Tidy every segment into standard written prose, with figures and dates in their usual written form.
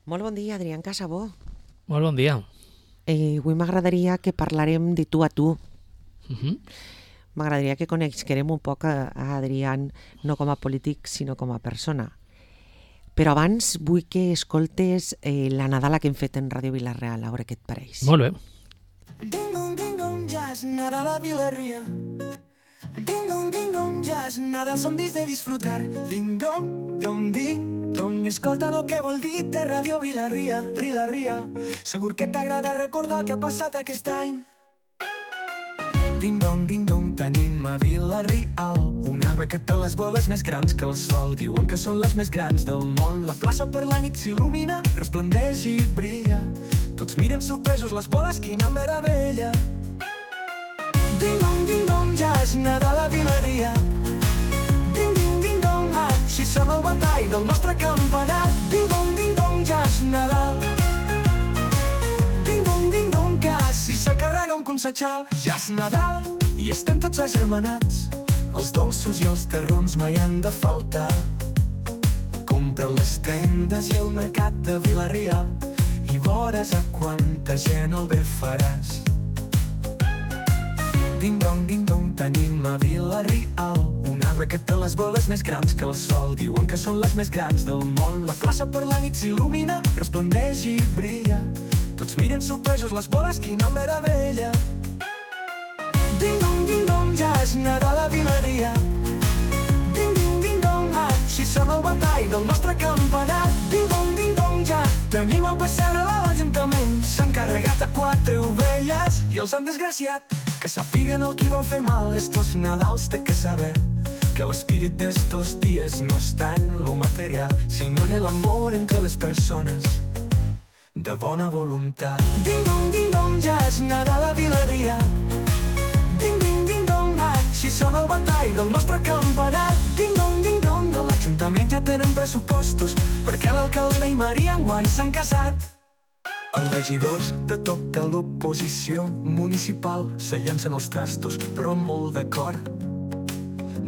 Molt bon dia, Adrián Casabó. Molt bon dia. Avui m'agradaria que parlarem de tu a tu. Mhm. M'agradaria que coneguem un poc a Adrián, no com a polític, sinó com a persona. Però abans vull que escoltes la Nadala que hem fet en Ràdio Vila-real, a veure què et pareix. Molt bé. Ding dong, jazz, Nadal a Vila-ria. Ding dong, jazz, Nadal són dies de disfrutar. Ding dong, escolta el que vol dir de Ràdio Vila-ria, Vila-ria. Segur que t'agrada recordar el que ha passat aquest any. Ding dong, tenim a Vila-real un arbre que té les boles més grans que el sol. Diuen que són les més grans del món. La plaça per la nit s'il·lumina, resplendeix i brilla. Tots miren sorpresos les boles, quina meravella. Ding dong, jazz, Nadal a Vila-ria. Ding dong, així sona el batall del nostre campanar. Ding dong, jazz, Nadal. Ding dong, quasi s'acarrega un consejal. Jazz, Nadal, i estem tots agermanats. Els dolços i els terrons mai han de faltar. Compra les tendes i el mercat de Vila-real i veuràs a quanta gent el bé faràs. Ding dong, tenim a Vila-real un arbre que té les boles més grans que el sol. Diuen que són les més grans del món. La plaça per la nit s'il·lumina, resplendeix i brilla. Tots miren sorpresos les boles, quina meravella. Ding dong, jazz, Nadal a Vila-ria. Ding dong, així sona el batall del nostre campanar. Ding dong, jazz. Tenim el pessebre a l'Ajuntament. S'han carregat a 4 ovelles i els han desgraciat. Que sàpiguen el qui vol fer mal estos Nadals té que saber que l'espírit d'estos dies no està en lo material, sinó en el amor entre les persones de bona voluntat. Ding dong, jazz, Nadal a Vila-ria. Ding dong, així sona el batall del nostre campanar. Ding dong, de l'Ajuntament ja tenen pressupostos perquè l'alcalde i Maria enguany s'han casat. Els regidors de tota l'oposició municipal se llancen els trastos, però molt d'acord.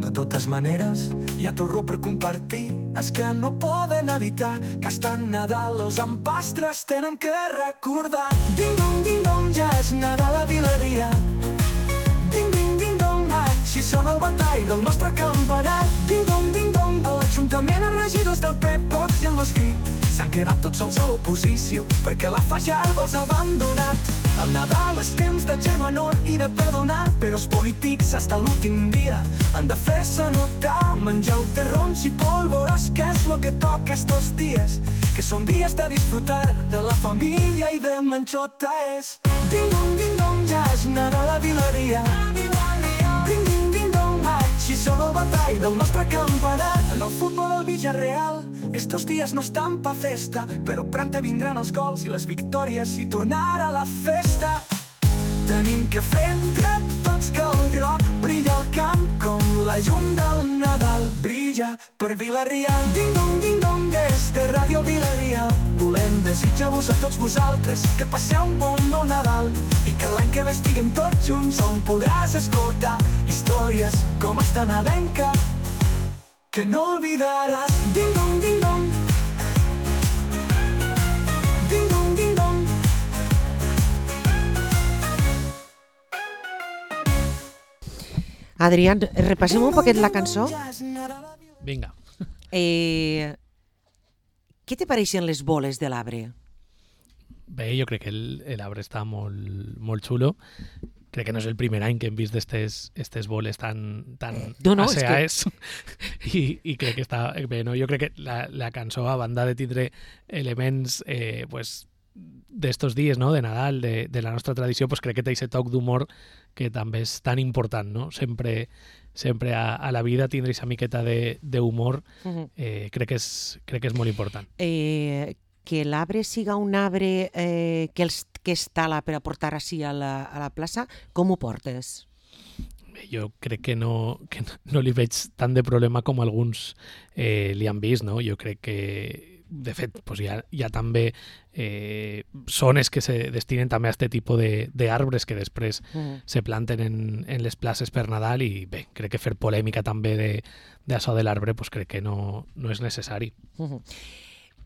De totes maneres, hi ha torró per compartir. És que no poden evitar que estan Nadal els empastres tenen que recordar. Ding dong, jazz, Nadal a Vila-ria. Ding dong, així sona el batall del nostre campanar. Ding dong, a l'Ajuntament els regidors del PP, Vox i en l'Esquí s'han quedat tots sols a l'oposició perquè la Fajardo els ha abandonat. El Nadal és temps de germanor i de perdonar, però els polítics hasta l'últim dia han de fer-se notar. Menjar terrons i pólvoros, que és lo que toca estos dies, que són dies de disfrutar de la família i de menjota és. Ding dong, jazz, Nadal a Vila-ria. Ding dong, així sona el batall del nostre campanar. En el futbol del Villarreal estos dies no estan pa festa, però pronta vindran els gols i les victòries i tornar a la festa. Tenim que fer entre tots que el groc brilla al camp com la llum del Nadal brilla per Vila-ria. Ding dong, des de Ràdio Vila-ria volem desitjar-vos a tots vosaltres que passeu un bon Nadal i que l'any que ve estiguem tots junts on podràs escoltar històries com esta nadalenca que no olvidaràs. Ding dong, ding dong. Ding dong. Adrián, repassem un poquet la cançó. Vinga. Què te pareixen les boles de l'arbre? Bé, jo crec que l'arbre està molt xulo. Crec que no és el primer any que hem vist estes boles tan aseaes. I crec que està bé, no? Jo crec que la cançó, a banda de tindre elements pues, d'estos dies, no? De Nadal, de la nostra tradició, pues crec que té aquest toc d'humor que també és tan important, no? Sempre a la vida tindre aquesta miqueta d'humor crec que és molt important. Que l'arbre siga un arbre que es tala per a portar així a la plaça, com ho portes? Jo crec que no li veig tant de problema com alguns li han vist, no? Jo crec que, de fet, pues hi ha també zones que se destinen també a aquest tipus d'arbres que després se planten en les places per Nadal i bé, crec que fer polèmica també d'això de l'arbre pues crec que no és necessari.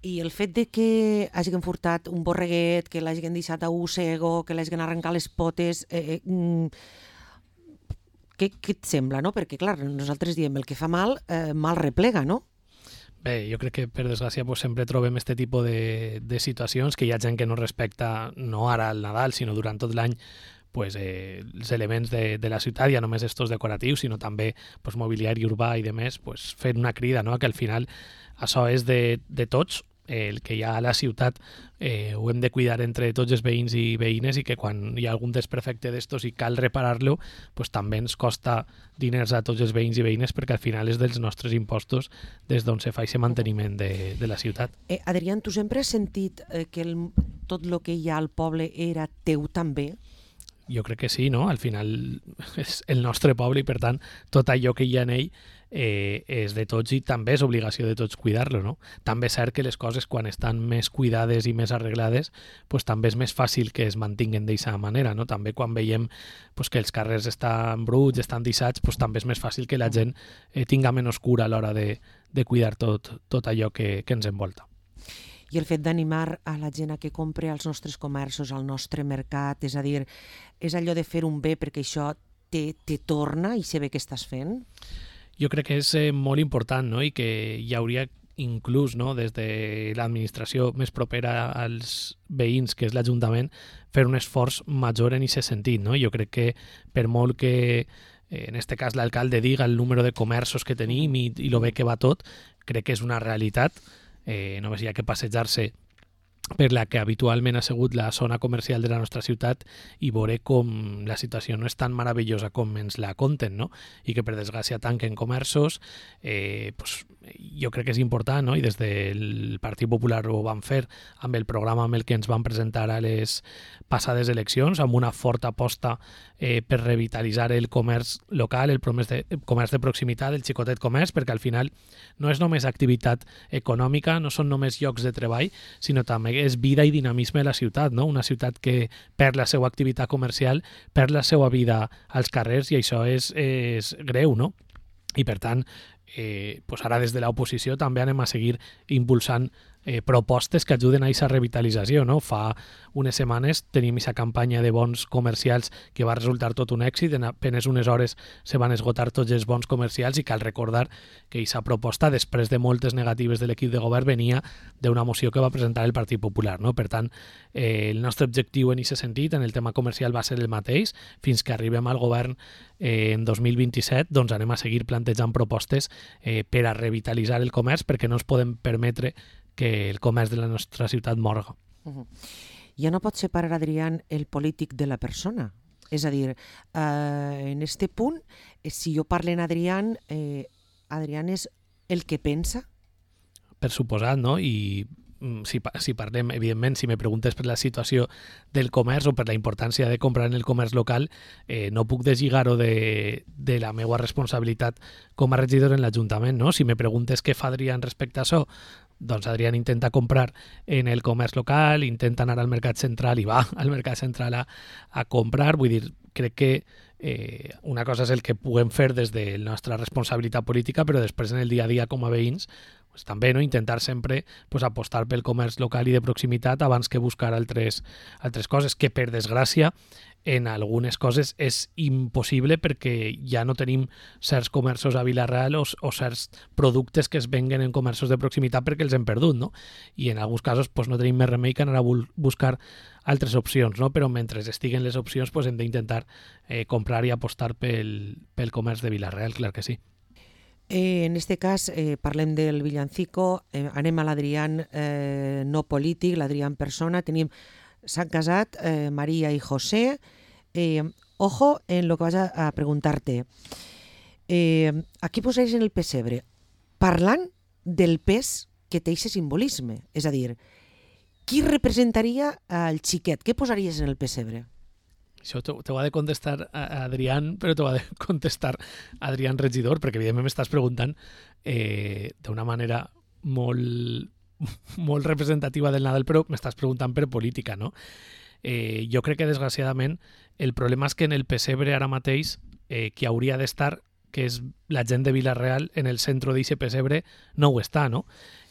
I el fet de que hagin furtat un borreguet, que l'hagin deixat a un cego, que l'hagin arrencat les potes, què et sembla, no? Perquè, clar, nosaltres diem el que fa mal, mal replega, no? Bé, jo crec que, per desgràcia, pues, sempre trobem aquest tipus de situacions que hi ha gent que no respecta, no ara al Nadal, sinó durant tot l'any, pues, els elements de la ciutat, ja només estos decoratius, sinó també pues, mobiliari urbà i demés, pues, fent una crida, no? Que al final això és de tots, el que hi ha a la ciutat ho hem de cuidar entre tots els veïns i veïnes i que quan hi ha algun desperfecte d'estos i cal reparar-lo, pues, també ens costa diners a tots els veïns i veïnes perquè al final és dels nostres impostos des d'on se fa aquest manteniment de la ciutat. Adrián, tu sempre has sentit que tot el que hi ha al poble era teu també? Jo crec que sí, no? Al final és el nostre poble i, per tant, tot allò que hi ha en ell és de tots i també és obligació de tots cuidar-lo, no? També és cert que les coses, quan estan més cuidades i més arreglades, pues, també és més fàcil que es mantinguen d'aquesta manera, no? També quan veiem pues, que els carrers estan bruts, estan deixats, pues, també és més fàcil que la gent tinga menys cura a l'hora de cuidar tot allò que ens envolta. I el fet d'animar a la gent a que compre als nostres comerços, al nostre mercat, és a dir, és allò de fer un bé perquè això te torna i se ve que estàs fent? Jo crec que és molt important, no? I que hi hauria inclús, no, des de l'administració més propera als veïns, que és l'Ajuntament, fer un esforç major en aquest sentit, no? Jo crec que per molt que en este cas l'alcalde diga el número de comerços que tenim i lo bé que va tot, crec que és una realitat. Només hi ha que passejar-se per la que habitualment ha sigut la zona comercial de la nostra ciutat i veure com la situació no és tan meravellosa com ens la conten, no? I que per desgràcia tanquen comerços, pues, jo crec que és important, no? I des del Partit Popular ho van fer amb el programa amb el que ens van presentar a les passades eleccions, amb una forta aposta per revitalitzar el comerç local, el comerç de proximitat, el xicotet comerç, perquè al final no és només activitat econòmica, no són només llocs de treball, sinó també és vida i dinamisme de la ciutat, no? Una ciutat que perd la seva activitat comercial, perd la seva vida als carrers i això és greu, no? I per tant, pues ara des de l'oposició també anem a seguir impulsant propostes que ajuden a aquesta revitalització, no? Fa unes setmanes tenim aquesta campanya de bons comercials que va resultar tot un èxit, en apenes unes hores se van esgotar tots els bons comercials i cal recordar que aquesta proposta, després de moltes negatives de l'equip de govern, venia d'una moció que va presentar el Partit Popular, no? Per tant, el nostre objectiu en aquest sentit, en el tema comercial, va ser el mateix. Fins que arribem al govern en 2027, doncs anem a seguir plantejant propostes per a revitalitzar el comerç, perquè no ens podem permetre que el comerç de la nostra ciutat morga. Ja no pots separar, Adrián, el polític de la persona. És a dir, en este punt, si jo parlo en Adrián, Adrián és el que pensa? Per suposat, no? I si parlem, evidentment, si me preguntes per la situació del comerç o per la importància de comprar en el comerç local, no puc deslligar-ho de la meva responsabilitat com a regidor en l'Ajuntament, no? Si me preguntes què fa Adrián respecte a això, doncs Adrián intenta comprar en el comerç local, intenta anar al mercat central i va al mercat central a comprar. Vull dir, crec que una cosa és el que puguem fer des de la nostra responsabilitat política, però després en el dia a dia com a veïns pues, també no intentar sempre pues, apostar pel comerç local i de proximitat abans que buscar altres coses, que per desgràcia en algunes coses és impossible perquè ja no tenim certs comerços a Vila-real o certs productes que es venguen en comerços de proximitat perquè els hem perdut, no? I en alguns casos pues, no tenim més remei que anar a buscar altres opcions, no? Però mentre estiguen les opcions pues, hem d'intentar comprar i apostar pel comerç de Vila-real, clar que sí. En este cas parlem del villancico, anem a l'Adrián no polític, l'Adrián persona, s'han casat María y José. Ojo en lo que vas a preguntarte. Aquí posaries en el pessebre parlant del pes que té aquest simbolisme. És a dir, qui representaria el xiquet? Què posaries en el pessebre? Això t'ho ha de contestar Adrián, però t'ho ha de contestar Adrián regidor, perquè evidentment m'estàs preguntant d'una manera molt representativa del Nadal, però m'estàs preguntant per política, no? Jo crec que desgraciadament el problema és que en el pessebre ara mateix qui hauria d'estar, que és la gent de Vila-real, en el centre d'aquest pessebre no ho està, no?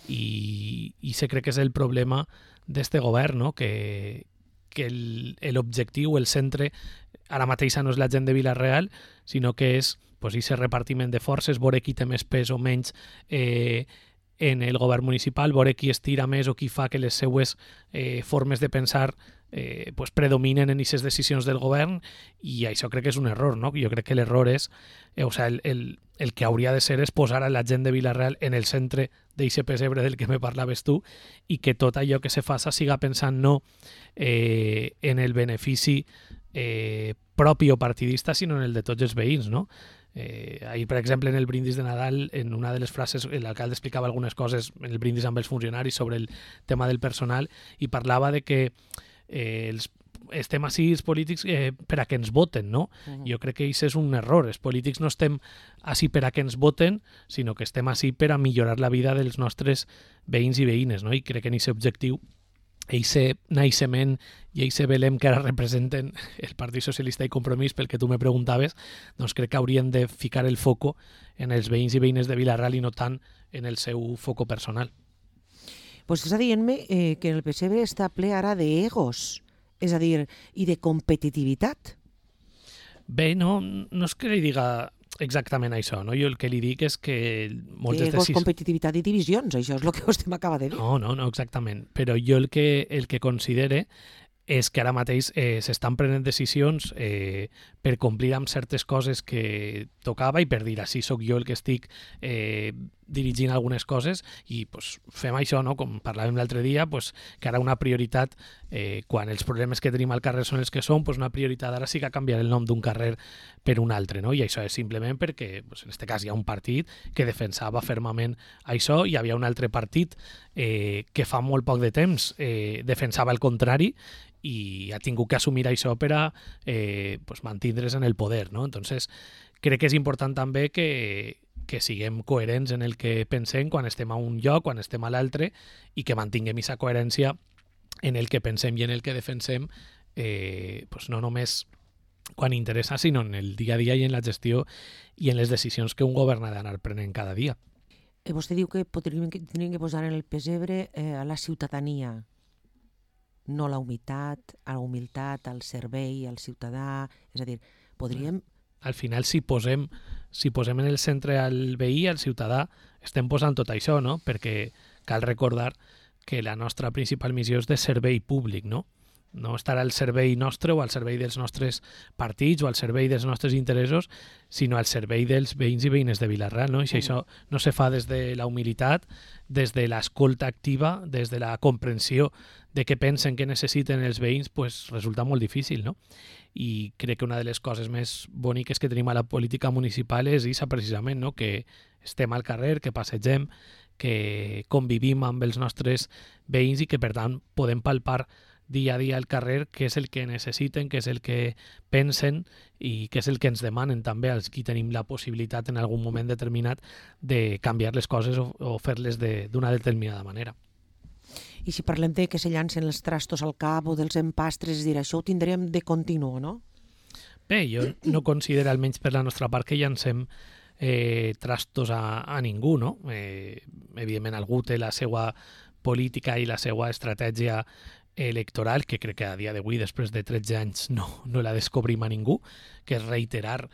i se crec que és el problema d'este govern, no? que l'objectiu, el centre, ara mateixa no és la gent de Vila-real, sinó que és aquest repartiment de forces, veure qui té més pes o menys en el govern municipal, veure qui estira més o qui fa que les seues formes de pensar predominen en aquestes decisions del govern, i això crec que és un error, no? Jo crec que l'error és, el que hauria de ser és posar a la gent de Vila-real en el centre d'aquest pessebre del que me parlaves tu, i que tot allò que se faça siga pensant no en el benefici propi o partidista, sinó en el de tots els veïns, no? Ahir, per exemple, en el brindis de Nadal, en una de les frases, l'alcalde explicava algunes coses en el brindis amb els funcionaris sobre el tema del personal, i parlava de que estem així els polítics per a que ens voten, no? Jo crec que això és un error. Els polítics no estem així per a que ens voten, sinó que estem així per a millorar la vida dels nostres veïns i veïnes, no? I crec que en aquest objectiu, eixe naixement i eixe Belém que ara representen el Partit Socialista i Compromís, pel que tu me preguntaves, doncs crec que haurien de ficar el foco en els veïns i veïnes de Vila-real i no tant en el seu foco personal. Pues està dient-me que el pessebre està ple ara d'egos, és a dir, i de competitivitat. Bé, no és que li diga exactament això, no? Jo el que li dic és que moltes egos, competitivitat i divisions, això és el que vostè m'acaba de dir. No, exactament. Però jo el que considere és que ara mateix s'estan prenent decisions per complir amb certes coses que tocava i per dir, així sóc jo el que estic dirigint algunes coses, i fem això, no? Com parlàvem l'altre dia, que ara una prioritat, quan els problemes que tenim al carrer són els que són, una prioritat ara sí que canviar el nom d'un carrer per un altre, no? I això és simplement perquè, en aquest cas, hi ha un partit que defensava fermament això, i hi havia un altre partit que fa molt poc de temps defensava el contrari, i ha tingut que assumir això per a mantindre's en el poder, no? Entonces, crec que és important també que siguem coherents en el que pensem quan estem a un lloc, quan estem a l'altre, i que mantinguem aquesta coherència en el que pensem i en el que defensem, no només quan interessa, sinó en el dia a dia i en la gestió i en les decisions que un govern ha d'anar prenent cada dia. Vostè diu que tindríem que posar en el pessebre a la ciutadania, no la humilitat, al servei, al ciutadà, és a dir, podríem... Al final, si posem en el centre al veí, al ciutadà, estem posant tot això, no? Perquè cal recordar que la nostra principal missió és de servei públic, no? No estar al servei nostre o al servei dels nostres partits o al servei dels nostres interessos, sinó al servei dels veïns i veïnes de Vila-real, no? I si això no se fa des de la humilitat, des de l'escolta activa, des de la comprensió de què pensen que necessiten els veïns, resulta molt difícil, no? I crec que una de les coses més boniques que tenim a la política municipal és això precisament, no? Que estem al carrer, que passegem, que convivim amb els nostres veïns i que, per tant, podem palpar dia a dia al carrer què és el que necessiten, què és el que pensen i què és el que ens demanen també als qui tenim la possibilitat en algun moment determinat de canviar les coses o fer-les d'una determinada manera. I si parlem de que se llancen els trastos al cap o dels empastres, és dir, això ho tindrem de continu, no? Bé, jo no considero, almenys per la nostra part, que llancem trastos a ningú, no? Evidentment, algú té la seva política i la seva estratègia electoral, que crec que a dia d'avui, després de 13 anys, no la descobrim a ningú, que és reiterar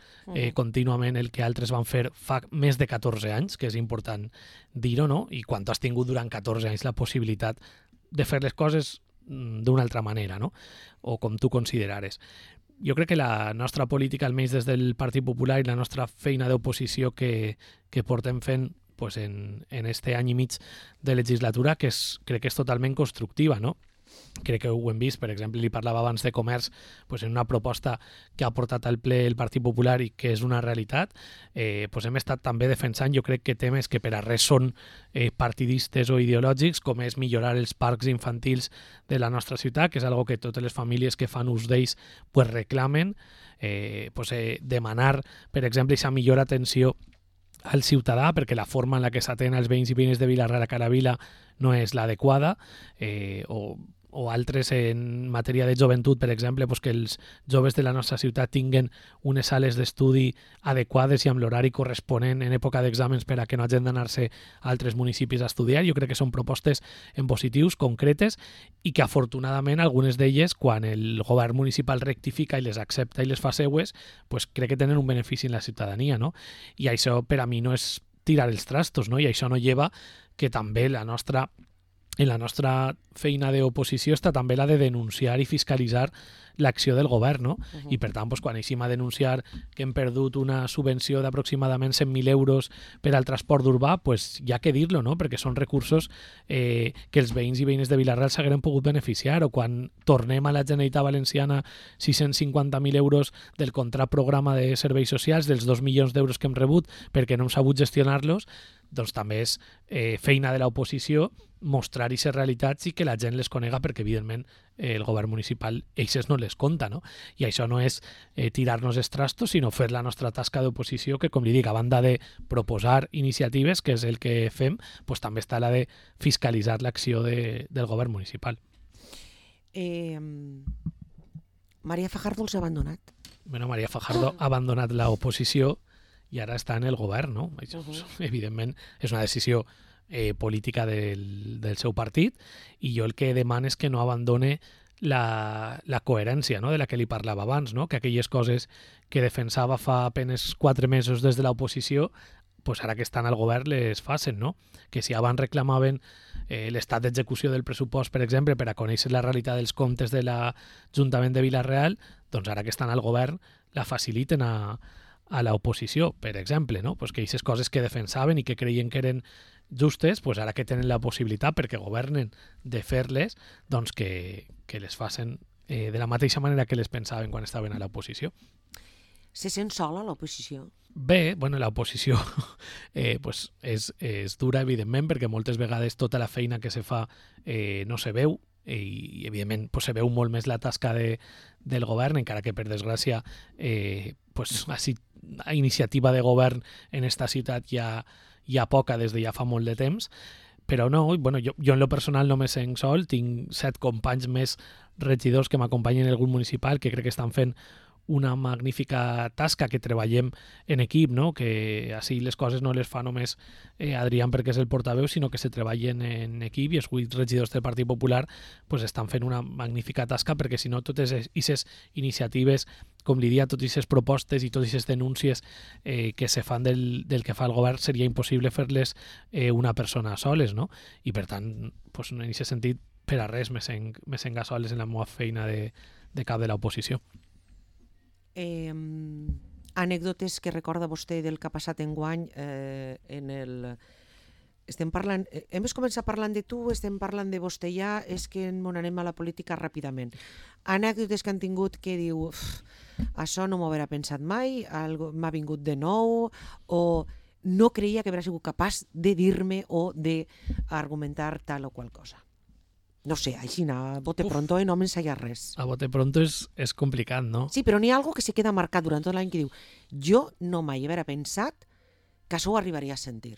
contínuament el que altres van fer fa més de 14 anys, que és important dir-ho, no? I quan tu has tingut durant 14 anys la possibilitat de fer les coses d'una altra manera, no? O com tu considerares. Jo crec que la nostra política, almenys des del Partit Popular, i la nostra feina d'oposició que portem fent en este any i mig de legislatura, crec que és totalment constructiva, no? Crec que ho hem vist, per exemple, li parlava abans de comerç, en una proposta que ha portat al ple el Partit Popular i que és una realitat, hem estat també defensant, jo crec que temes que per a res són partidistes o ideològics, com és millorar els parcs infantils de la nostra ciutat, que és algo que totes les famílies que fan ús d'ells reclamen, demanar, per exemple, aquesta millor atenció al ciutadà, perquè la forma en la que s'atén als veïns i veïnes de Vila-real a cada vila no és l'adequada, o altres en matèria de joventut, per exemple, pues que els joves de la nostra ciutat tinguen unes sales d'estudi adequades i amb l'horari corresponent en època d'exàmens per a que no hagin d'anar-se a altres municipis a estudiar. Jo crec que són propostes en positius, concretes, i que afortunadament algunes d'elles, quan el govern municipal rectifica i les accepta i les fa seues, pues crec que tenen un benefici en la ciutadania, no? I això per a mi no és tirar els trastos, no? I això no lleva que també en la nostra feina d'oposició està també la de denunciar i fiscalitzar l'acció del govern, no? I per tant, quan eixim a denunciar que hem perdut una subvenció d'aproximadament 100.000 euros per al transport urbà, pues hi ha que dir-lo, no? Perquè són recursos que els veïns i veïnes de Vila-real s'hagueren pogut beneficiar, o quan tornem a la Generalitat Valenciana 650.000 euros del contracte programa de serveis socials, dels 2 milions d'euros que hem rebut perquè no hem sabut gestionar-los, doncs també és feina de l'oposició mostrar aquestes realitats i que la gent les conega, perquè evidentment el govern municipal eixes no les compta, no? I això no és tirar-nos els trastos, sinó fer la nostra tasca d'oposició, que, com li dic, a banda de proposar iniciatives, que és el que fem, pues també està la de fiscalitzar l'acció del govern municipal. María Fajardo els ha abandonat? Bueno, María Fajardo ha abandonat l'oposició i ara està en el govern, no? Això, evidentment, és una decisió política del seu partit, i jo el que demano és que no abandone la coherència, no?, de la que li parlava abans, no? Que aquelles coses que defensava fa apenes 4 mesos des de l'oposició, pues ara que estan al govern les facin, no? Que si abans reclamaven l'estat d'execució del pressupost, per exemple, per a conèixer la realitat dels comptes de l'Ajuntament de Vila-real, doncs ara que estan al govern la faciliten a l'oposició, per exemple, no? Pues que aquestes coses que defensaven i que creien que eren justes, pues ara que tenen la possibilitat, perquè governen, de fer-les, doncs que les facin de la mateixa manera que les pensaven quan estaven a l'oposició. Se sent sola l'oposició? Bé, bueno, l'oposició pues és dura, evidentment, perquè moltes vegades tota la feina que se fa no se veu, i evidentment pues, se veu molt més la tasca del govern, encara que per desgràcia pues, a iniciativa de govern en esta ciutat hi ha poca des de ja fa molt de temps, però no, bueno, jo en lo personal no me sent sol, tinc 7 companys més regidors que m'acompanyen en el grup municipal, que crec que estan fent una magnífica tasca, que treballem en equip, no? Que així les coses no les fa només Adrián perquè és el portaveu, sinó que se treballen en equip, i els 8 regidors del Partit Popular pues, estan fent una magnífica tasca, perquè si no totes aquestes iniciatives, com li dia, totes aquestes propostes i totes aquestes denúncies que se fan del que fa el govern seria impossible fer-les una persona soles, no? I per tant, pues, en aquest sentit, per a res me sent soles en la meva feina de cap de l'oposició. Anècdotes que recorda vostè del que ha passat enguany estem parlant, hem començat parlant de tu, estem parlant de vostè ja, és que ens anem a la política ràpidament. Anècdotes que han tingut que diu això no m'ho haurà pensat mai, m'ha vingut de nou, o no creia que haurà sigut capaç de dir-me o d'argumentar tal o qual cosa. No sé, així, a bote pronto no m'ensaya res. A bote pronto és complicat, no? Sí, però n'hi ha algo que se queda marcat durant tot l'any que diu jo no mai haver pensat que això ho arribaria a sentir.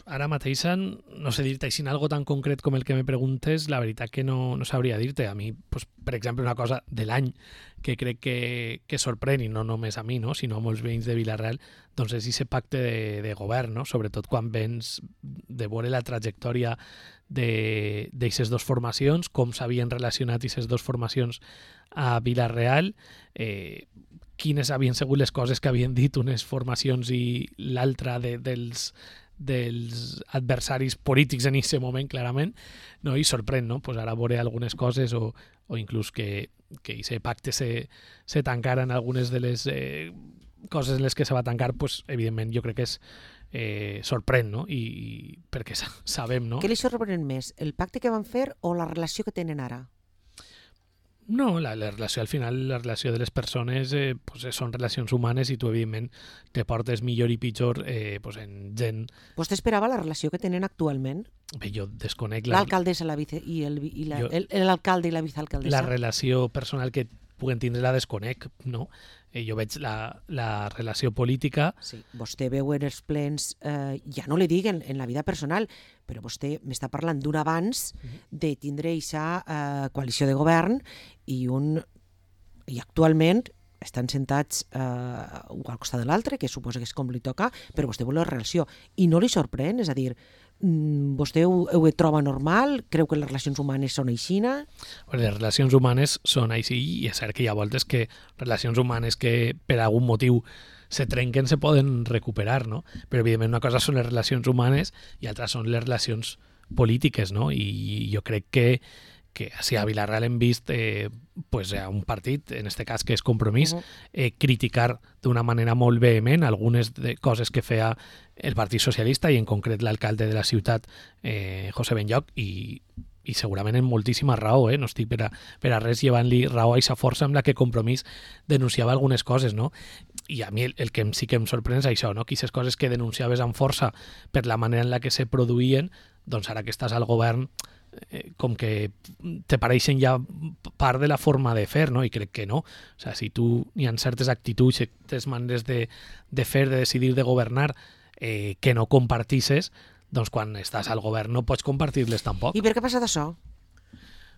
Ara mateix, no sé dir-te així algo tan concret com el que me preguntes, la veritat que no sabria dir-te. A mi, pues, per exemple, una cosa de l'any que crec que sorprèn, i no només a mi, no? Sinó a molts veïns de Vila-real, doncs és aquest pacte de govern, no? Sobretot quan vens de veure la trajectòria d'aquestes 2 formacions, com s'havien relacionat aquestes 2 formacions a Vila-real, quines havien sigut les coses que havien dit unes formacions i l'altra dels adversaris polítics en aquest moment, clarament, no? I sorprèn, no? Pues ara veure algunes coses o inclús que aquest pacte se tancara en algunes de les coses en les que se va tancar, pues, evidentment jo crec que és sorprèn, no? I perquè sabem, no? Què li sorprèn més, el pacte que van fer o la relació que tenen ara? No, la relació, al final, la relació de les persones pues, són relacions humanes, i tu, evidentment, te portes millor i pitjor pues, en gent... Vostè esperava la relació que tenen actualment? Bé, jo desconec... L'alcaldessa i l'alcalde i la vicealcaldessa? La relació personal que puguen tindre la desconec, no? Jo veig la relació política... Sí, vostè veu en els plens, ja no li dic en la vida personal, però vostè m'està parlant d'un abans de tindre aquesta coalició de govern i actualment estan sentats un al costat de l'altre, que suposa que és com li toca, però vostè vol la relació. I no li sorprèn? És a dir, vostè ho troba normal? Creu que les relacions humanes són aixina? Les relacions humanes són així, i és cert que hi ha voltes que relacions humanes que per algun motiu se trenquen se poden recuperar, no? Però evidentment una cosa són les relacions humanes i altres són les relacions polítiques, no? I jo crec que si a Vila-real hem vist pues, a un partit, en este cas que és Compromís, criticar d'una manera molt vehement algunes coses que feia el Partit Socialista i en concret l'alcalde de la ciutat, José Benlloch, i segurament en moltíssima raó, no estic per a res llevant-li raó a aquesta força amb la que Compromís denunciava algunes coses, no? I a mi el que sí que em sorprèn és això, no? Que aquestes coses que denunciaves amb força per la manera en la que se produïen, doncs ara que estàs al govern com que te pareixen ja part de la forma de fer, no? I crec que no. O sea, si tu hi ha certes actituds, certes maneres de fer, de decidir, de governar, que no compartisses, doncs quan estàs al govern no pots compartir-les tampoc. I per què ha passat això?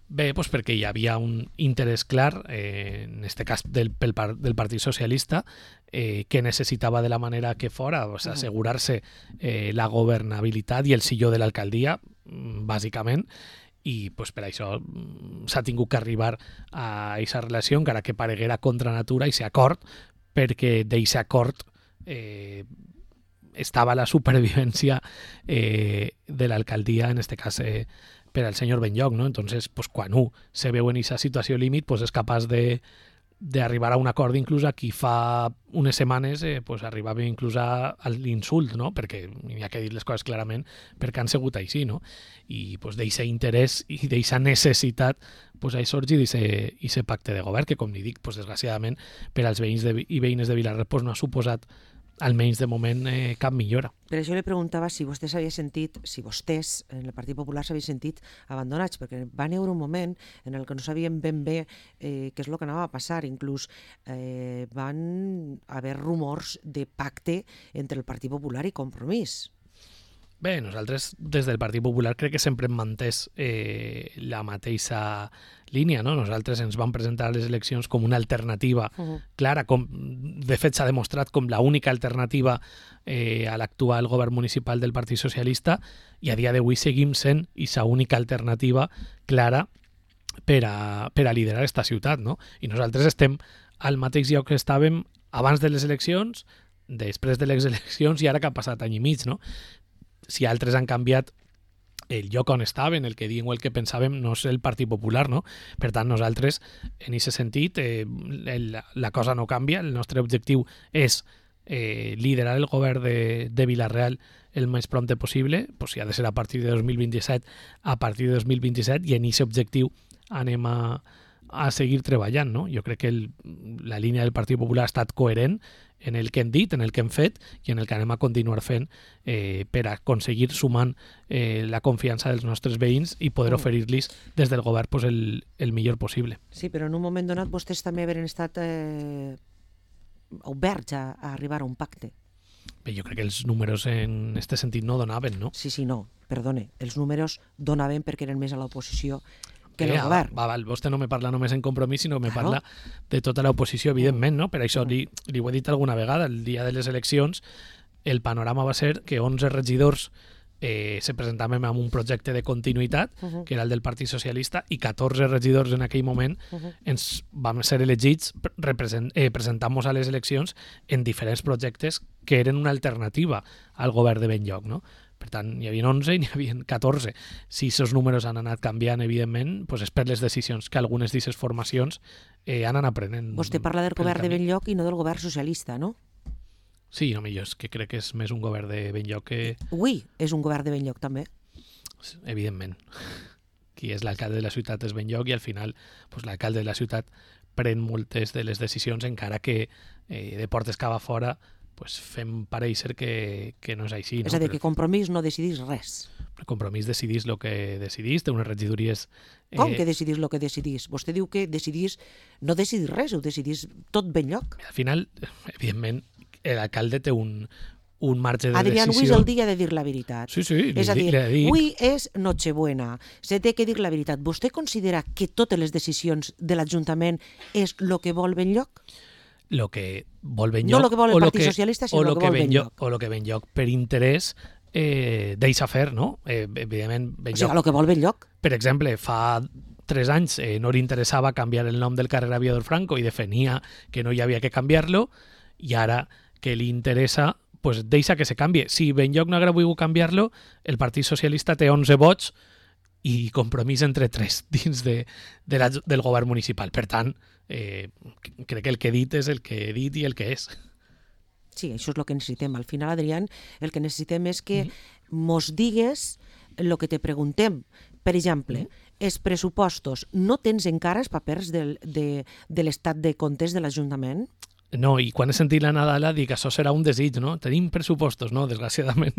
Bé, doncs perquè hi havia un interès clar, en aquest cas del Partit Socialista, que necessitava de la manera que fora assegurar-se la governabilitat i el silló de l'alcaldia, bàsicament, i pues, per això s'ha tingut que arribar a aquesta relació, encara que pareguera contra natura, i aquest acord, perquè d'aquest acord estava la supervivència de l'alcaldia, en aquest cas per al senyor Benlloch, ¿no? Entonces, pues, quan se veu en aquesta situació límit, pues, és capaç d'arribar a un acord, inclús a qui fa unes setmanes pues, arribava inclús a l'insult, no? Perquè hi ha que dir les coses clarament perquè han sigut així, no? I pues, d'aquest interès i d'aquesta necessitat pues, ha sorgit aquest pacte de govern que, com li dic, pues, desgraciadament per als veïns i veïnes de Vila-real pues, no ha suposat almenys de moment cap millora. Per això li preguntava si vostès en el Partit Popular s'havien sentit abandonats, perquè van haver un moment en el que no sabien ben bé què és el que anava a passar. Inclús van haver rumors de pacte entre el Partit Popular i Compromís. Bé, nosaltres des del Partit Popular crec que sempre hem mantès la mateixa línia, no? Nosaltres ens vam presentar a les eleccions com una alternativa clara, de fet s'ha demostrat com l'única alternativa a l'actual govern municipal del Partit Socialista, i a dia d'avui seguim sent aquesta única alternativa clara per a liderar aquesta ciutat, no? I nosaltres estem al mateix lloc que estàvem abans de les eleccions, després de les eleccions i ara que ha passat any i mig, no? Si altres han canviat el lloc on estaven, el que diem o el que pensàvem, no és el Partit Popular, no? Per tant, nosaltres, en aquest sentit, la cosa no canvia. El nostre objectiu és liderar el govern de Vila-real el més prompte possible, pues si ha de ser a partir de 2027, a partir de 2027, i en aquest objectiu anem a seguir treballant, no? Jo crec que la línia del Partit Popular ha estat coherent en el que hem dit, en el que hem fet i en el que anem a continuar fent per aconseguir sumant la confiança dels nostres veïns i poder oferir-los des del govern pues, el millor possible. Sí, però en un moment donat vostès també haveren estat oberts a arribar a un pacte. Bé, jo crec que els números en aquest sentit no donaven, no? Sí, no, perdone, els números donaven perquè eren més a l'oposició que el govern. Vostè no me parla només en Compromís, sinó que me parla de tota l'oposició, evidentment, no? Per això li ho he dit alguna vegada, el dia de les eleccions el panorama va ser que 11 regidors se presentaven amb un projecte de continuïtat, que era el del Partit Socialista, i 14 regidors en aquell moment ens vam ser elegits presentant-nos a les eleccions en diferents projectes que eren una alternativa al govern de Benlloch, no? Per tant, hi havia 11 i n'hi havia 14. Si aquests números han anat canviant, evidentment, doncs és per les decisions que algunes d'aquestes formacions han anat prenent. Vostè parla del govern de Benlloch i no del govern socialista, no? Sí, no, millor, és que crec que és més un govern de Benlloch que... Ui, és un govern de Benlloch també. Evidentment. Qui és l'alcalde de la ciutat és Benlloch i al final doncs, l'alcalde de la ciutat pren moltes de les decisions, encara que de portes cap a fora pues fem pareixer que no és així. És a dir, que Compromís no decidís res. El Compromís decidís el que decidís, té unes regidories... Com que decidís el que decidís? Vostè diu que no decidís res, ho decidís tot ben lloc. Al final, evidentment, l'alcalde té un marge de Adrián, decisió. avui és el dia de dir la veritat. Sí, és a dir, avui és Nochebuena, se té que dir la veritat. Vostè considera que totes les decisions de l'Ajuntament és el que vol ben lloc? Lo que vol ben lloc, no el que vol el Partit Socialista, sinó el que vol ben lloc. O el que ben lloc per interès deixa fer, no? Evidentment, ben lloc. O sigui, el que vol ben lloc. Per exemple, fa 3 anys no li interessava canviar el nom del carrer Aviador Franco i defenia que no hi havia que canviar-lo, i ara que li interessa, pues deixa que se canvie. Si ben lloc no haguera volgut canviar-lo, el Partit Socialista té 11 vots i Compromís entre 3 dins del govern municipal. Per tant, crec que el que he dit és el que he dit i el que és. Sí, això és el que necessitem. Al final, Adrián, el que necessitem és que mos digues el que te preguntem. Per exemple, els pressupostos, no tens encara els papers de l'estat de comptes de l'Ajuntament? No, i quan he sentit la Nadala dic que això serà un desig, no? Tenim pressupostos, no? Desgraciadament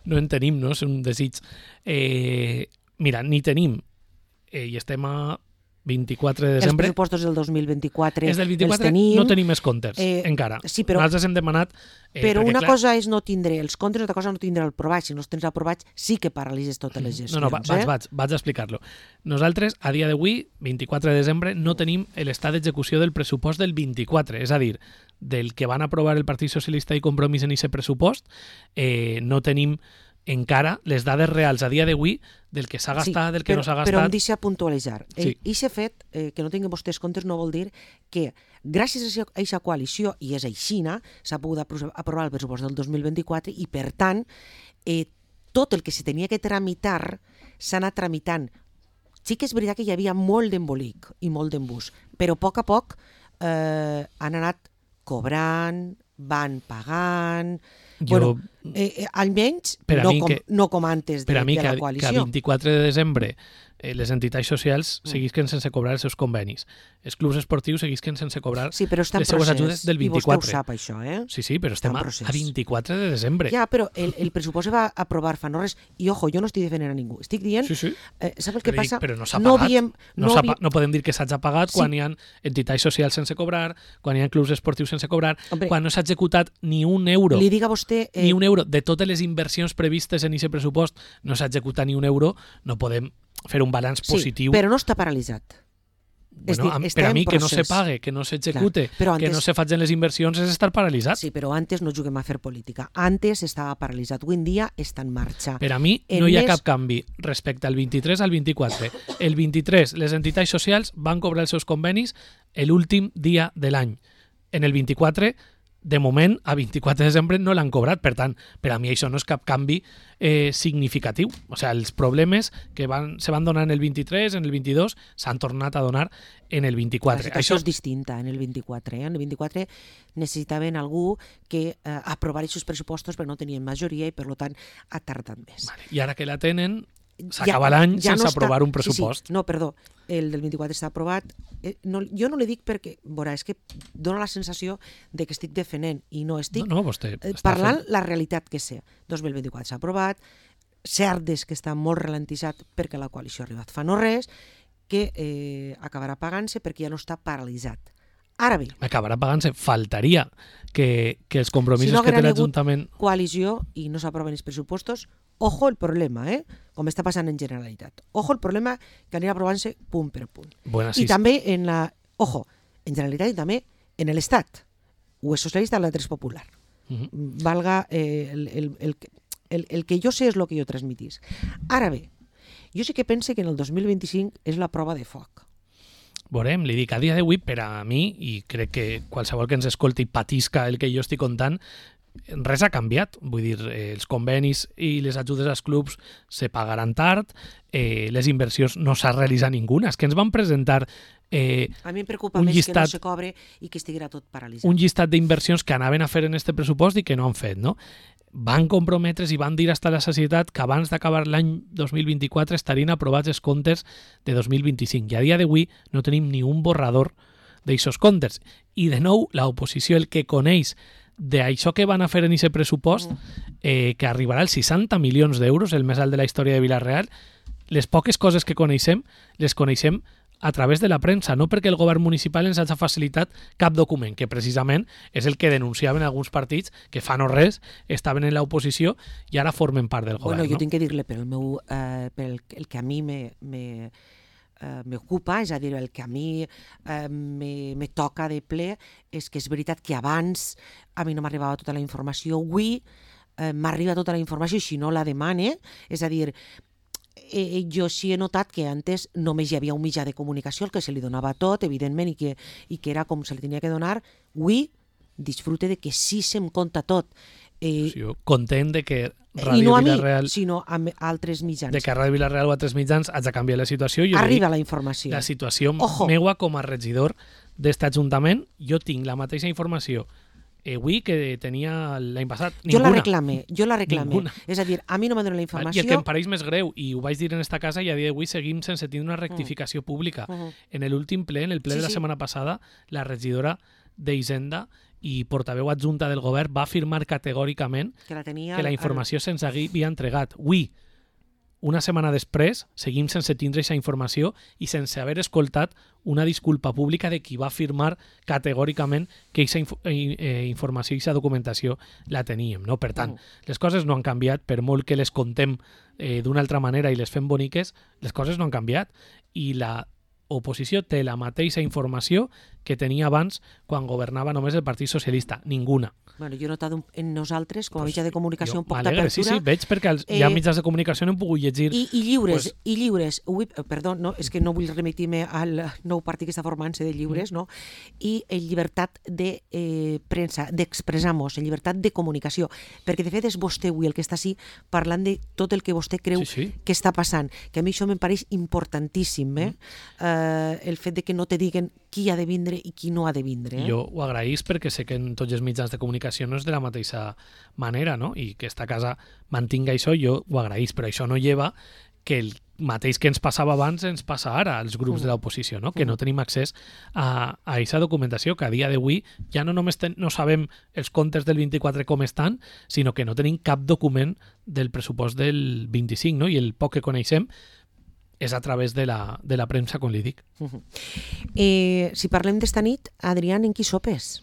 no en tenim, no? És un desig. Mira, ni tenim, i estem a 24 de desembre... Els pressupostos del 2024 els del 24 els tenim. No tenim els comptes, encara. Sí, però, nosaltres hem demanat... però una cosa és no tindre els comptes, una altra cosa no tindre el provat. Si no els tens aprovats, sí que paralitzes totes les gestions. No, vaig a explicar-lo. Nosaltres, a dia d'avui, 24 de desembre, no tenim l'estat d'execució del pressupost del 24, és a dir, del que van aprovar el Partit Socialista i Compromís en aquest pressupost, no tenim encara les dades reals a dia d'avui del que s'ha gastat, del que no s'ha gastat. Però em deixa puntualitzar. Sí. Aquest fet, que no tinguin vostès comptes, no vol dir que gràcies a aquesta coalició, i és aixina, s'ha pogut aprovar el pressupost del 2024 i, per tant, tot el que se tenia que tramitar s'ha anat tramitant. Sí que és veritat que hi havia molt d'embolic i molt d'embús, però a poc han anat cobrant, van pagant... Bueno, almenys no com antes de la coalició. Per a mi, que a 24 de desembre les entitats socials seguisquen sense cobrar els seus convenis. Els clubs esportius seguisquen sense cobrar les seues ajudes del 24. I vostè ho sap, això, Sí, però estem a 24 de desembre. Ja, però el pressupost se va aprovar fa no res. I, ojo, jo no estic defendent a ningú. Estic dient... Sí. Saps el que passa? Però no s'ha pagat. No podem dir que s'hagi pagat quan hi ha entitats socials sense cobrar, quan hi ha clubs esportius sense cobrar, quan no s'ha executat ni un euro. Li diga vostè... Ni un euro. De totes les inversions previstes en aquest pressupost no s'ha executat ni un euro. No podem fer un balanç positiu. Sí, però no està paralitzat. Bueno, per a mi que no se pague, que no s'execute, que no se facin les inversions és estar paralitzat. Sí, però antes no juguem a fer política. Antes estava paralitzat. Avui en dia està en marxa. Per a mi no hi ha cap canvi respecte al 23 al 24. El 23 les entitats socials van cobrar els seus convenis l'últim dia de l'any. En el 24 de moment, a 24 de desembre no l'han cobrat. Per tant, per a mi això no és cap canvi significatiu. O sigui, els problemes que se van donar en el 23, en el 22, s'han tornat a donar en el 24. La situació és distinta en el 24. En el 24 necessitaven algú que aprovar aquests pressupostos perquè no tenien majoria i, per tant, ha tardat més. Vale. I ara que la tenen, s'acaba l'any sense aprovar un pressupost. Sí. No, perdó, el del 24 està aprovat. Jo no li dic perquè, veurà, és que dona la sensació de que estic defendent i no estic parlant la realitat que sé. 2024 s'ha aprovat, cert és que està molt ralentitzat perquè la coalició ha arribat fa no res, que acabarà pagant-se perquè ja no està paralitzat. Ara bé... Acabarà pagant-se. Faltaria que els compromisos que té l'Ajuntament... Si no haguera coalició i no s'aproven els pressupostos, ojo el problema, com està passant en Generalitat. Ojo el problema que anirà aprovant-se punt per punt. I també en Generalitat i també en l'Estat. O és socialista o l'altre és popular. Valga el que jo sé és el que jo transmitís. Ara bé, jo sí que pense que en el 2025 és la prova de foc. Veurem, li dic, a dia d'avui, per a mi, i crec que qualsevol que ens escolti i patisca el que jo estic contant, res ha canviat. Vull dir, els convenis i les ajudes als clubs se pagaran tard, les inversions no s'ha realitzat ninguna. És que ens van presentar a mi em preocupa més que no se cobre i que estiguera tot paralitzat. Un llistat d'inversions que anaven a fer en este pressupost i que no han fet, no? Van comprometre's i van dir hasta la societat que abans d'acabar l'any 2024 estarien aprovats els comptes de 2025. I a dia d'avui no tenim ni un borrador d'aixòs comptes. I de nou, l'oposició, el que coneix d'això que van a fer en aquest pressupost, que arribarà als 60 milions d'euros, el més alt de la història de Vila-real, les poques coses que coneixem, les coneixem a través de la premsa, no perquè el govern municipal ens hagi facilitat cap document, que precisament és el que denunciaven alguns partits que fa no res, estaven en l'oposició i ara formen part del govern. Bueno, jo tinc que dir-li el que a mi m'ocupa, és a dir, el que a mi me toca de ple, és que és veritat que abans a mi no m'arribava tota la informació, avui m'arriba tota la informació i si no la demane, és a dir, jo sí he notat que antes només hi havia un mitjà de comunicació, el que se li donava tot, evidentment, i que era com se li tenia que donar. Avui disfrute de que sí se'm conta tot. Jo content de que Ràdio Vila-real... sinó a altres mitjans. De que Ràdio Vila-real o altres mitjans hagi de canviar la situació. Arriba la informació. La situació meua com a regidor d'este ajuntament, jo tinc la mateixa informació avui que tenia l'any passat. Ninguna. Jo la reclame. Ninguna. És a dir, a mi no m'ha donat la informació... I el que em pareix més greu, i ho vaig dir en esta casa, i a dia d'avui seguim sense tenir una rectificació pública. En l'últim ple, en el ple de la setmana passada, la regidora d'Hisenda i portaveu adjunta del govern va afirmar categòricament que la informació se'ns havia entregat. Avui, una setmana després, seguim sense tindre aquesta informació i sense haver escoltat una disculpa pública de qui va afirmar categòricament que aquesta informació i aquesta documentació la teníem. No? Per tant, les coses no han canviat, per molt que les contem d'una altra manera i les fem boniques, les coses no han canviat. I la oposició té la mateixa informació que tenia abans quan governava només el Partit Socialista. Ninguna. Bueno, jo he notat en nosaltres, com a mitjà de comunicació, un poc d'apertura. Sí, veig perquè hi ha mitjans de comunicació no hem pogut llegir. I lliures. Perdó, no, és que no vull remitir-me al nou partit que està formant-se de lliures, no? I en llibertat de premsa, d'expressar-nos, en llibertat de comunicació. Perquè, de fet, és vostè avui el que està així parlant de tot el que vostè creu que està passant. Que a mi això me'n pareix importantíssim, el fet de que no te diguen qui ha de vindre i qui no ha de vindre. Jo ho agraïs perquè sé que en tots els mitjans de comunicació no és de la mateixa manera, no? I que esta casa mantinga això, jo ho agraïs, però això no lleva que el mateix que ens passava abans ens passa ara als grups de l'oposició, no? Que no tenim accés a aquesta documentació, que a dia d'avui ja no només no sabem els comptes del 24 com estan, sinó que no tenim cap document del pressupost del 25, no? I el poc que coneixem és a través de la premsa, com li dic. Si parlem d'esta nit, Adrián, en qui sopes?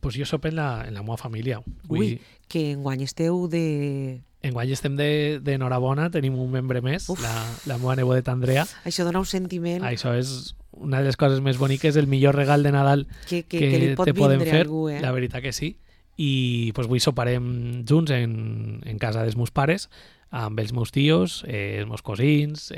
Pues jo sope en la meva família. Ui, que enguany esteu de... Enguany estem d'enhorabona, tenim un membre més, la meva nebodeta Andrea. Això dona un sentiment... Això és una de les coses més boniques, el millor regal de Nadal que te podem fer, la veritat que sí. I pues, avui soparem junts en casa dels meus pares, amb els meus tios, els meus cosins,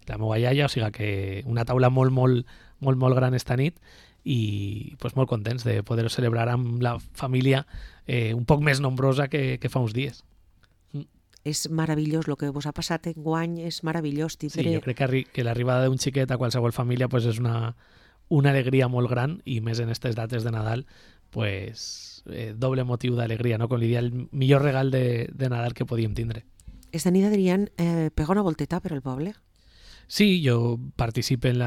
la meva iaia, o sigui que una taula molt gran esta nit i pues, molt contents de poder-ho celebrar amb la família un poc més nombrosa que fa uns dies. És meravellós, el que vos ha passat enguany és meravellós. Sí, jo crec que l'arribada d'un xiquet a qualsevol família pues, és una alegria molt gran i més en aquestes dates de Nadal pues, doble motiu d'alegria, no? Com li dia, el millor regal de Nadal que podíem tindre. Esta nit, Adrián, pega una volteta per el poble? Sí, jo participo en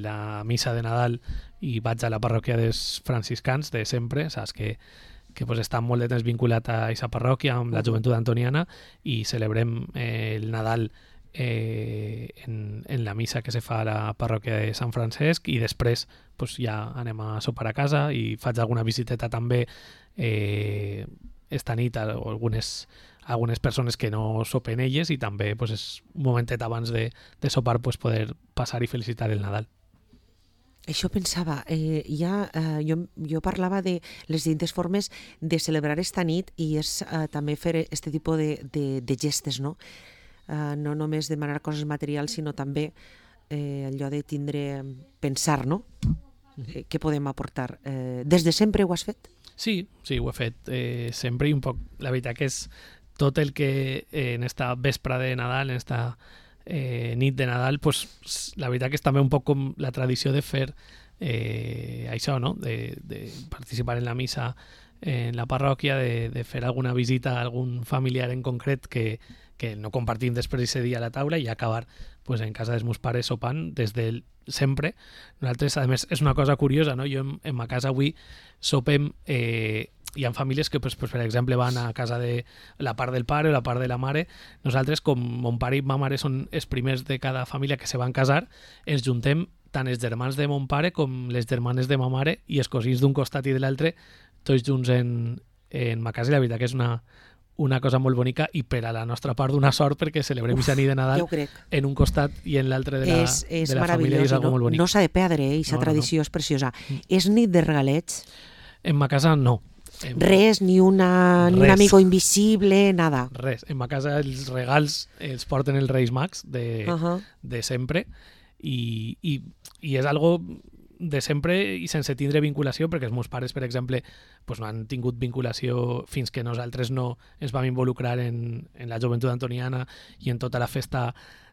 la missa de Nadal i vaig a la parròquia dels franciscans de sempre, saps que pues, està molt de temps vinculat a aquesta parròquia amb la joventut antoniana i celebrem el Nadal en la missa que se fa a la parròquia de Sant Francesc i després pues, ja anem a sopar a casa i faig alguna visiteta també esta nit a algunes persones que no sopen elles i també pues, és un momentet abans de sopar pues, poder passar i felicitar el Nadal. Això pensava, jo parlava de les distintes formes de celebrar esta nit i és també fer aquest tipus de gestes, no? No només demanar coses materials, sinó també allò de pensar, no? Què podem aportar. Des de sempre ho has fet? Sí, ho he fet sempre i un poc. La veritat que és tot el que en esta vespra de Nadal, en esta nit de Nadal, pues, la veritat que és també un poc com la tradició de fer això, no? De participar en la missa en la parròquia, de fer alguna visita a algun familiar en concret que que no compartim després d'aquest dia a la taula i acabar pues, en casa dels meus pares sopant des de sempre. Nosaltres, a més, és una cosa curiosa, no? Jo en ma casa avui sopem... hi ha famílies que, pues, per exemple, van a casa de la part del pare o la part de la mare. Nosaltres, com mon pare i ma mare són els primers de cada família que se van casar, ens juntem tant els germans de mon pare com les germanes de ma mare i els cosins d'un costat i de l'altre, tots junts en ma casa. I la veritat que és una cosa molt bonica i per a la nostra part d'una sort perquè celebrem aquesta nit de Nadal en un costat i en l'altre de la família i és algo molt bonic. No s'ha de perdre, aquesta tradició és preciosa. És nit de regalets? En ma casa no. Res, ni un amigo invisible, nada. Res. En ma casa els regals els porten els Reis Mags de sempre i és algo de sempre i sense tindre vinculació, perquè els meus pares, per exemple, pues no han tingut vinculació fins que nosaltres no ens vam involucrar en la joventut antoniana i en tota la festa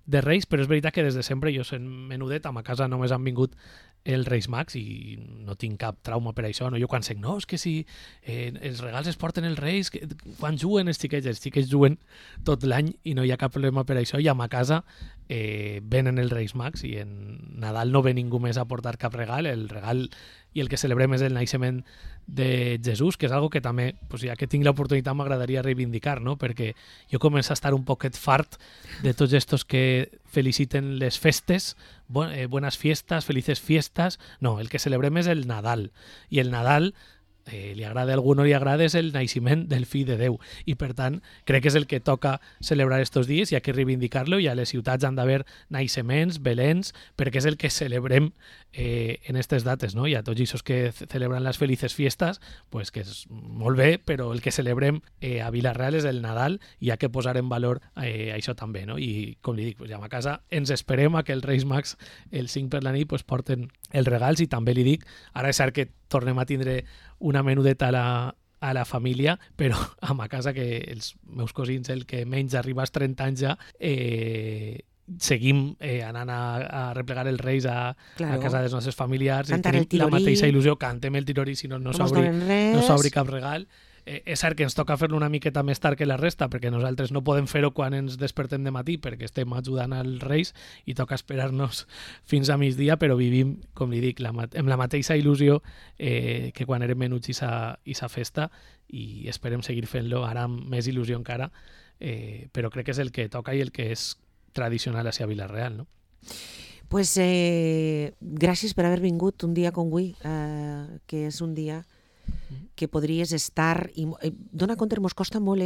de Reis, però és veritat que des de sempre jo sent menudet, a ma casa només han vingut els Reis Mags i no tinc cap trauma per això. No? Jo quan sec, no, és que si els regals es porten els Reis, quan juguen els xiquets juguen tot l'any i no hi ha cap problema per això, i a ma casa venen els Reis Mags i en Nadal no ve ningú més a portar cap regal. El regal i el que celebrem és el naixement de Jesús, que és algo que també, pues, ja que tinc l'oportunitat, m'agradaria reivindicar, no? Perquè jo començo a estar un poquet fart de tots estos que feliciten les festes, buenas fiestas, felices fiestas. No, el que celebrem és el Nadal. I el Nadal, li agrada a algú o no li agrada, és el naixement del fill de Déu. I per tant, crec que és el que toca celebrar estos dies i hi ha que reivindicar-lo, i a les ciutats han d'haver naixements, belens, perquè és el que celebrem en aquestes dates, no? I a tots aquests que celebren les felices fiestes, pues que és molt bé, però el que celebrem a Vila-real és el Nadal i hi ha que posar en valor això també, no? I com li dic, pues, ja a casa ens esperem a que els Reis Mags el 5 per la nit pues, porten els regals, i també li dic, ara és cert que tornem a tindre una menudeta a la família, però a ma casa, que els meus cosins, el que menys arriba als 30 anys ja, seguim anant a replegar els Reis a casa dels nostres familiars, i tenim la mateixa il·lusió, cantem el tirorí, si no s'obri cap regal. És cert que ens toca fer-lo una miqueta més tard que la resta, perquè nosaltres no podem fer-ho quan ens despertem de matí, perquè estem ajudant als Reis i toca esperar-nos fins a migdia, però vivim, com li dic, amb la mateixa il·lusió que quan érem menuts i sa festa, i esperem seguir fent-lo ara amb més il·lusió encara, però crec que és el que toca i el que és tradicional hacia Vila-real, no? Pues gràcies per haver vingut un dia com avui, que és un dia que podries estar, i dona compte, mos costa molt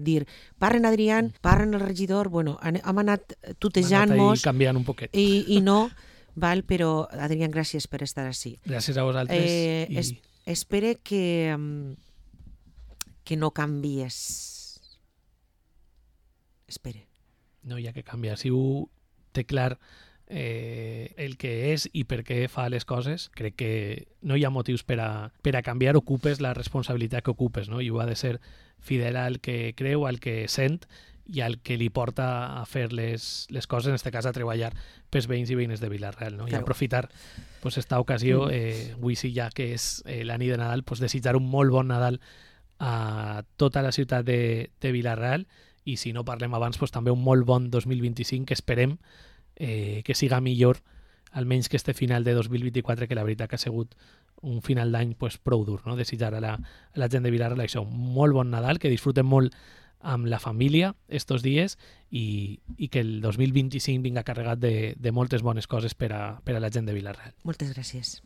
dir, parlen Adrián, parlen el regidor, bueno, hem anat tutejant-nos canviant un poquet i no, val, però Adrián, gràcies per estar així. Gràcies a vosaltres. Espere que no canvies. Espere. No hi ha que canviar. Si ho té clar el que és i per què fa les coses, crec que no hi ha motius per a canviar, ocupes la responsabilitat que ocupes, no? I ho ha de ser fidel al que creu, al que sent i al que li porta a fer les coses, en aquest cas a treballar pels veïns i veïnes de Vila-real, no? Claro. I aprofitar pues, esta ocasió, avui sí ja que és la nit de Nadal, pues, desitjar un molt bon Nadal a tota la ciutat de Vila-real, i si no parlem abans, pues, també un molt bon 2025, que esperem que siga millor, almenys que este final de 2024, que la veritat que ha sigut un final d'any pues, prou dur, no? Desitjar a la gent de Vila-real això, un molt bon Nadal, que disfruten molt amb la família estos dies i que el 2025 vinga carregat de moltes bones coses per a la gent de Vila-real. Moltes gràcies.